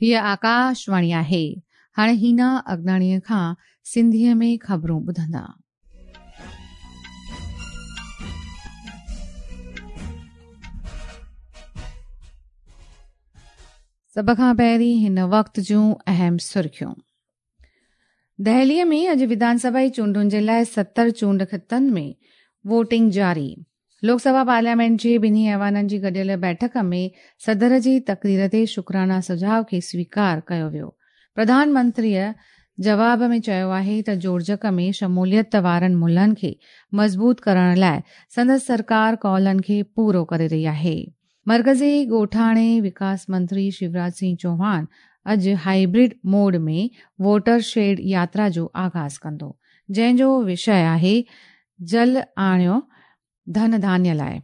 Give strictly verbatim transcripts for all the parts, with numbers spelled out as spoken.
हीअ आकाशवाणी आहे। हाणे हीना अगनाणीअ खां सिंधीअ में ख़बरूं ॿुधंदा। सभ खां पहिरीं हिन वक़्त जूं अहम सुर्खियूं। दहलीअ में अॼु विधानसभा जी चूंडुनि जे लाइ सतरि चूंड ख़ितनि में वोटिंग जारी। लोकसभा पार्लियामेंट जे ॿिन्ही ऐवाननि जी गॾियल बैठक में सदर जी तकरीर ते शुक्राना सुझाव खे स्वीकार कयो वियो। प्रधानमंत्रीअ जवाब में चयो आहे त जोड़जक में शमूलियत वारनि मुल्हनि खे मज़बूत करण लाइ संदसि सरकार कौलनि खे पूरो करे रही आहे। मरकज़ी ॻोठाणे विकास मंत्री शिवराज सिंह चौहान अॼु हाइब्रिड मोड में वोटर शेड यात्रा जो आग़ाज़ कंदो, जंहिंजो विषय आहे जल आणियो धन धान्य लाइ।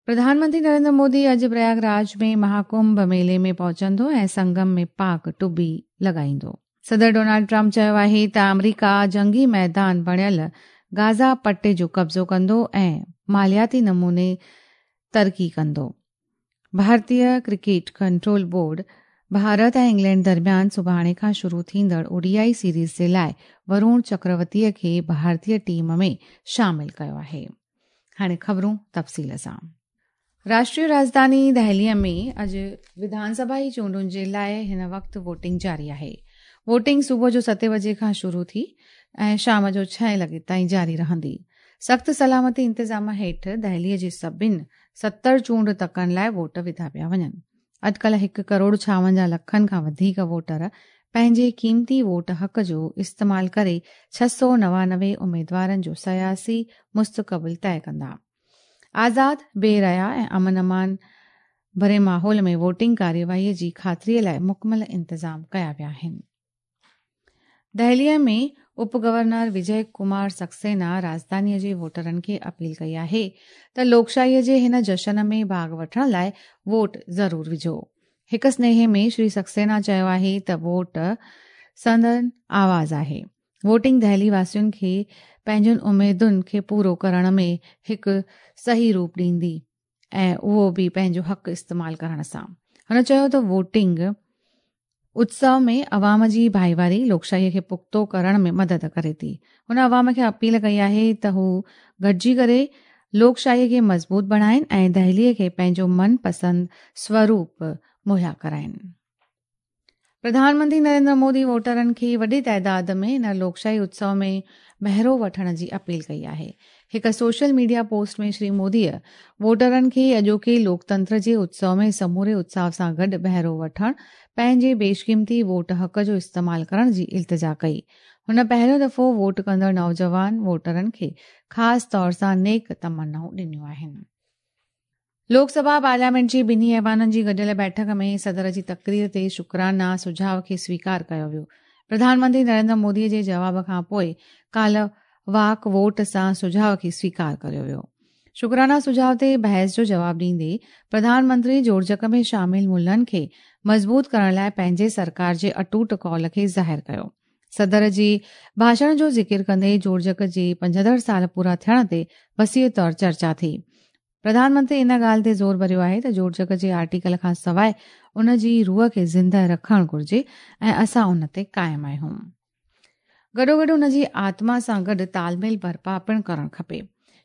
प्रधानमंत्री नरेंद्र मोदी अॼु प्रयागराज में महाकुंभ मेले में पहुचंदो ऐं संगम में पाक टुबी लॻाईंदो। सदर डोनाल्ड ट्रंप चयो आहे त आमेरिका जंगी मैदान बणियल गाज़ा पट्टे जो कब्ज़ो कंदो ऐं मालियाती नमूने तरक़ी कंदो। भारतीय क्रिकेट कंट्रोल बोर्ड भारत ऐं इंग्लैंड दरमियान सुभाणे खां शुरू थींदड़ ओडीआई सीरीज़ जे लाइ वरुण चक्रवर्तीअ खे भारतीय टीम में शामिल कयो आहे। हाणे ख़बरूं तफ़सील सां। राष्ट्रीय राजधानी दहलीअ में अॼु विधानसभा जी चूंडुनि जे लाइ हिन वक़्तु वोटिंग जारी आहे। वोटिंग सुबुह जो सते बजे खां शुरू थी ऐं शाम जो छह लॻे ताईं जारी रहंदी। सख़्तु सलामती इंतज़ाम हेठि दहलीअ जे सभिनी सतरि चूंड तकनि लाइ वोट विधा पिया वञनि। अॼुकल्ह हिकु करोड़ छावंजाह लखनि खां वधीक वोटर पंहिंजे क़ीमती वोट हक़ जो इस्तेमालु करे छह सौ नवानवे उमेदवारनि जो सियासी मुस्तक़बिल तय कंदा। आज़ाद, बेरया ऐं अमन अमान भरे माहौल में वोटिंग कार्यवाहीअ जी ख़ातिरीअ लाइ मुकमल इंतज़ाम कया विया आहिनि। दहलीअ में उप गवर्नर विजय कुमार सक्सेना राजधानीअ जे वोटरनि खे अपील कई आहे त लोकशाहीअ जे हिन जशन में भाॻ वठण लाइ वोट ज़रूरु विझो। हिकु स्नेहे में श्री सक्सेना चयो आहे त वोट संदन आवाज़ आहे। वोटिंग दहली वासियुनि खे पंहिंजनि उमेदुनि खे पूरो करण में हिकु सही रूप ॾींदी ऐं उहो बि पंहिंजो हक़ इस्तेमालु करण सां। हुन चयो त वोटिंग उत्सव में अवाम जी भाईवारी लोकशाहीअ खे पुख़्तो करण में मदद करे थी। हुन अवाम खे अपील कई आहे त हू गॾिजी करे लोकशाहीअ खे मज़बूत बणाइनि ऐं दहलीअ खे पंहिंजो मनपसंद स्वरूप मुहैया कराइनि। प्रधानमंत्री नरेंद्र मोदी वोटरनि खे वॾे ताइदाद में हिन लोकशाही उत्सव में बहिरो वठण जी अपील कई आहे। हिकु सोशल मीडिया पोस्ट में श्री मोदीअ वोटरनि खे अॼोके लोकतंत्र जे उत्सव में समूरे उत्साह सां गॾु बहिरो वठण, पंहिंजे बेशक़ीमती वोट हक़ जो इस्तेमालु करण जी इल्तिजा कई। हुन पहिरियों दफ़ो वोट कंदड़ नौजवान वोटरनि खे ख़ासि तौर सां नेक तमन्नाऊं ॾिनियूं आहिनि। लोकसभा पार्लियामेंट जे ॿिन्ही ऐवाननि जी गॾियल बैठक में सदर जी तकरीर ते शुक्राना सुझाव खे स्वीकार कयो वियो। प्रधानमंत्री नरेंद्र मोदीअ जे जवाब खां पोइ काल्ह वाक वोट सां सुझाव खे स्वीकार कयो वियो। शुक्राना सुझाव ते बहस जो जवाब ॾींदे प्रधानमंत्री जोड़जक में शामिल मुल्हनि खे मज़बूत करण लाइ पंहिंजे सरकार जे अटूट कौल खे ज़ाहिर कयो। सदर जे भाषण जो ज़िक्र कंदे जोड़जक जे पंजहतरि साल पूरा थियण ते वसीअ तौर चर्चा थी। प्रधानमंत्री इन ॻाल्हि ते ज़ोर भरियो आहे त जोड़जक जे आर्टिकल खां सवाइ उन जी रूह खे ज़िंदा रखणु घुरिजे ऐं असां उन ते क़ाइमु आहियूं। गॾोगॾु उन जी आत्मा सां गॾु तालमेल बर्पा पिणु करणु खपे।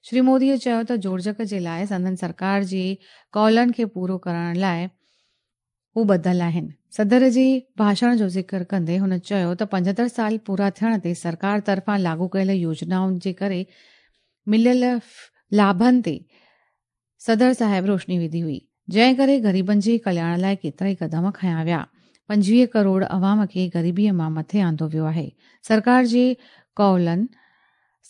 श्री मोदीअ चयो त जोड़जक जे लाइ संदन सरकार जे कौलनि खे पूरो करण लाइ हू ॿधल आहिनि। सदर जे भाषण जो ज़िक्र कंदे हुन चयो त पंजहतरि साल पूरा थियण ते सरकार तरफ़ां लागू कयल योजनाउनि जे करे मिलियल लाभनि ते सदर साहिब रोशनी विधी हुई, जंहिं करे ग़रीबनि जे कल्याण लाइ केतिरा ई क़दम खयां विया। पंजवीह करोड़ अवाम खे ग़रीबीअ मां मथे आंदो वियो आहे। सरकार जे कौलनि,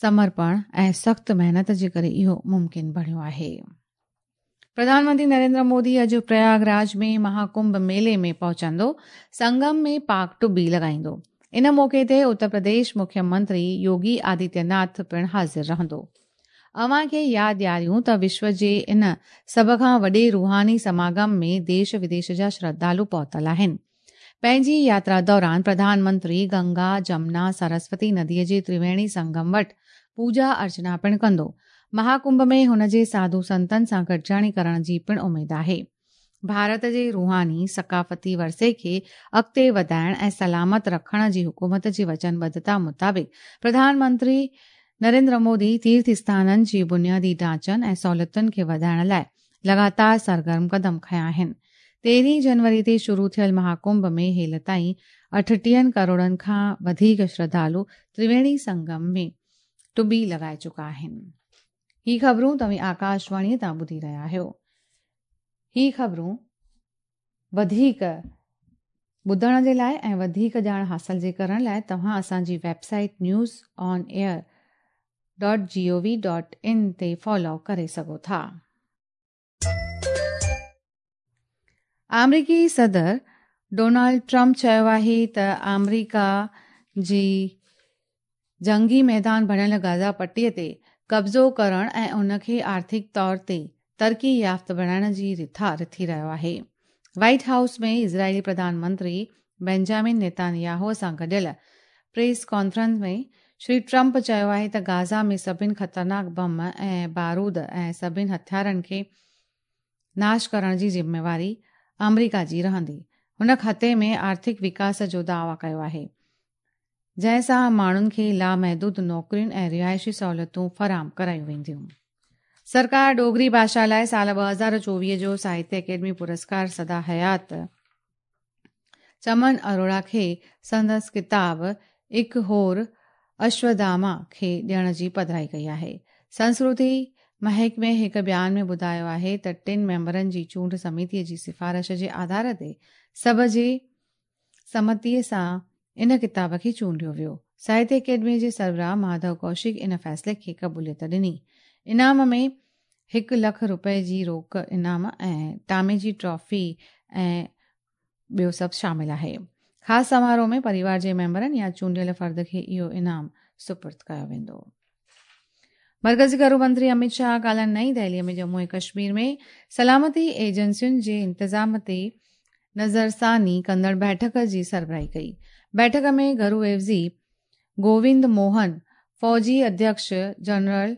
समर्पण ऐं सख़्तु महिनत जे करे इहो मुमकिन बणियो आहे। प्रधानमंत्री नरेंद्र मोदी अॼु प्रयागराज में महाकुंभ मेले में पहुचंदो, संगम में पाक टुबी लॻाईंदो। इन मौक़े ते उत्तर प्रदेश मुख्यमंत्री योगी आदित्यनाथ पिणु हाज़िर रहंदो। अव्हां खे यादि ॾियारियूं त विश्व जे इन सभ खां वॾे रूहानी समागम में देश विदेश जा श्रद्धालु पहुतल आहिनि। पंहिंजी यात्रा दौरान प्रधानमंत्री गंगा, जमुना, सरस्वती नदीअ जे त्रिवेणी संगम वटि पूजा अर्चना पिणु कंदो। महाकुंभ में हुन जे साधू संतनि सां गॾिजाणी करण जी पिणु उमेद आहे। ڀارت جي रूहानी ثقافتي ورثي کي اڳتي وڌائڻ ۽ سلامت رکڻ جي حڪومت جي وچنبڌتا مطابق پرڌان منتري نريندر مودي تيرٿ اسٿانن جي بنيادي ڍانچن ۽ سهولتن کي وڌائڻ لاءِ لڳاتار سرگرم قدم کنيا آهن. تيرهين جنوري تي شروع ٿيل مهاڪنڀ ۾ هيل تائين اٺٽيهن ڪروڙن کان وڌيڪ شرڌالو ترويڻي سنگم ۾ ٽٻي لڳائي چڪا آهن. هي خبرون توهين آڪاشواڻيءَ تان ٻڌي رهيا آهيو. هي خبرون وڌيڪ ٻڌڻ جي لاءِ ۽ وڌيڪ ڄاڻ حاصل جي ڪرڻ لاءِ توهان اسان جي website news on air dot G O V dot in تي فالو ڪري سگهو ٿا. آمريڪي صدر ڊونالڊ ٽرمپ چيو آهي ته آمريڪا جي جنگي ميدان بڻيل غزه پٽيءَ تي قبضو ڪرڻ ۽ ان کي آرٿڪ طور تي ترقي يافته بڻائڻ جي رٿا رٿي رهيو آهي. وائيٽ هائوس ۾ اسرائيلي پرڌان منتري بينجامن نيتانياهو سان گڏيل پريس ڪانفرنس ۾ شري ٽرمپ چيو آهي ته غزه ۾ سڀني خطرناڪ بم ۽ بارود ۽ سڀني هٿيارن کي ناش ڪرڻ جي ذميواري آمريڪا جي رهندي. هن خطي ۾ آرٿڪ وڪاس جو دعويٰ ڪيو آهي، جنهن سان ماڻهن کي لامحدود نوڪرين ۽ رهائشي سهولتون فراهم ڪرايون وينديون. سرڪار ڊوگري ڀاشا لاءِ سال ٻه هزار چوويهه جو ساهتيه اڪيڊمي پرسڪار سدا حيات چمن اروڙا کي سندس ڪتاب اڪ هور اشوڌاما کي ڏيڻ جي پڌرائي ڪئي آهي. سنسڪرتي محڪمي هڪ بيان ۾ ٻڌايو آهي ته ٽن ميمبرن جي چونڊ سميتيءَ جي سفارش جي آڌار تي سڀ جي سمتيءَ سان ان ڪتاب کي چونڊيو ويو. ساهتيه اڪيڊميءَ جي سربراهه ماڌو ڪوشڪ ان فيصلي کي قبوليت ڏني. انعام ۾ هڪ لک رپئي جي روڪ انعام ۽ ٽامي جي ٽرافي ۽ ٻيو سڀ شامل آهي. خاص سماروهه ۾ پريوار جي ميمبرن يا چونڊيل فرد کي اهو انعام سپرد ڪيو ويندو. مرڪزي گهرو منتري امت شاهه ڪالهه نئين دهليءَ ۾ ڄمون ۽ ڪشمير ۾ سلامتي ايجنسين جي انتظام تي نظرثاني ڪندڙ بيٺڪ جي سربراهي ڪئي. بيٺڪ ۾ گهرو عيوضي گووند موهن، فوجي اڌيڪش جنرل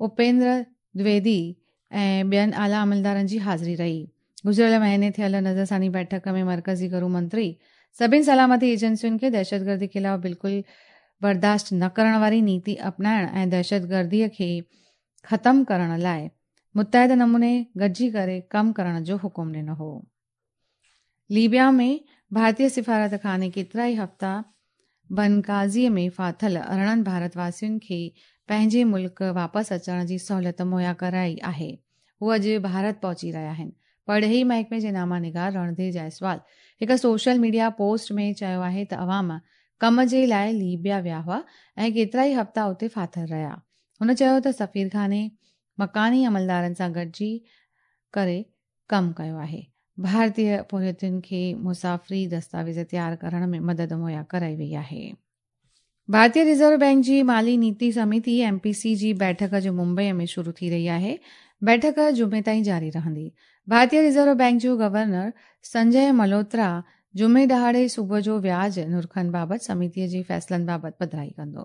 اپيندر دويدي ۽ ٻين اعليٰ عملدارن جي حاضري رهي. گذريل مهيني ٿيل نظرثاني بيٺڪ ۾ مرڪزي گهرو منتري سڀني سلامتي ايجنسين کي دهشتگردي خلاف بلڪل برداشت نه ڪرڻ واري نيتي اپنائڻ ۽ دهشتگرديءَ کي ختم ڪرڻ لاءِ متحد نموني گڏجي ڪري ڪم ڪرڻ جو حڪم ڏنو هو. ليبيا ۾ ڀارتيه سفارت خاني ڪيترائي هفتا بنڪازيءَ ۾ ڦاٿل ارڙهن ڀارت واسين کي پنهنجي ملڪ واپس اچڻ جي سهوليت مهيا ڪرائي آهي. هو اڄ ڀارت پهچي رهيا آهن. پرڏيهي محڪمي جي ناما نگار رڻڌير جئسوال هڪ سوشل ميڊيا پوسٽ ۾ چيو آهي ته عوام ڪم جي لاءِ ليبيا ويا هئا ۽ ڪيترائي هفتا اتي ڦاٿل رهيا. هن چيو ته سفير خاني مڪاني عملدارن سان گڏجي ڪري ڪم ڪيو آهي. ڀارتيه پورهيتن کي مسافري دستاويز تيار ڪرڻ ۾ مدد مهيا ڪرائي وئي آهي. ڀارتيه رزرو بينڪ جي مالي نيتي سميتي ايم پي سي جي بيٺڪ جو ممبئيءَ ۾ شروع ٿي رهي آهي. بيٺڪ جمعي تائين جاري رهندي. ڀارتيه رزرو بينڪ جو گورنر سنجي ملهوترا جمعي ڏهاڙي صبح جو وياج نرخن بابت سميتيءَ جي فيصلن بابت پڌرائي ڪندو.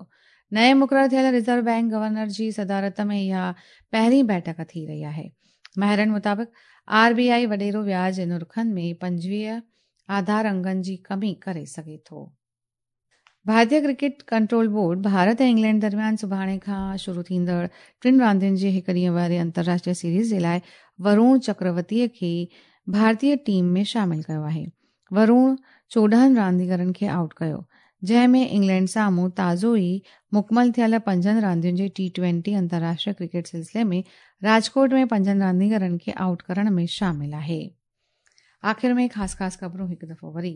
نئين مقرر ٿيل رزرو بينڪ گورنر جي صدارت ۾ اها پهرين بيٺڪ ٿي رهي آهي. ماهرن مطابق آر بي I وڏيرو وياج نرخن ۾ پنجويهه آڌار انگن جي ڪمي ڪري سگهي ٿو. ڀارتيه cricket control board Bharat ۽ England درميان سڀاڻي کان شروع ٿيندڙ ٽن راندين جي هڪ ڏينهن واري انترراشٽريه سيريز جي لاءِ ورون چڪروتيءَ کي ڀارتيه ٽيم ۾ شامل ڪيو آهي. ورون چوڏهن رانديگرن کي آئوٽ ڪيو، جنهن ۾ انگلينڊ سامهون تازو ئي مڪمل ٿيل پنجن راندين جي ٽي ٽوئنٽي انترراشٽريه ڪرڪيٽ سلسلي ۾ راجڪوٽ ۾ پنجن رانديگرن کي آئوٽ ڪرڻ ۾ شامل آهي. آخر ۾ خاص خاص خبرون هڪ دفعو وري.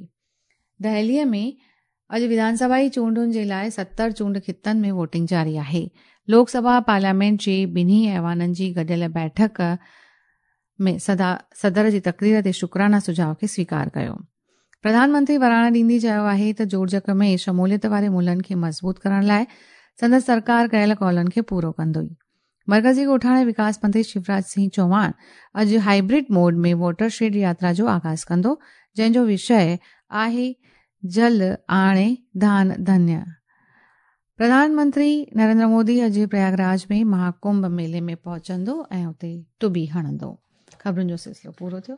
دهليءَ ۾ اڄ وڌانسڀائي چونڊن جي لاءِ ستر چونڊ خطن ۾ ووٽنگ جاري آهي. لوڪ سڀا پارليامينٽ جي ٻنهي ايوانن جي گڏيل بيٺڪ ۾ صدر جي تقرير تي شڪرانا سجهاءُ کي سويڪار ڪيو. پرڌان منتري وراڻ ڏيندي چيو آهي ته جوڙجڪ ۾ شموليت واري ملهن کي مضبوط ڪرڻ لاءِ سندس سرڪار ڪيل قولن کي پورو ڪندو. مرڪزي ڳوٺاڻي وڪاس منتري شيوراج سنگهه چوهاڻ اڄ هائبرڊ موڊ ۾ واٽر شيڊ ياترا جو آغاز ڪندو، جنهن جو وشيه آهي جل آڻي ڌان ڌنيه. پرڌان منتري نريندر مودي اڄ پرياگراج ۾ مهاڪنڀ ميلي ۾ پهچندو ۽ اتي ٽٻي هڻندو. خبرن جو سلسلو پورو ٿيو.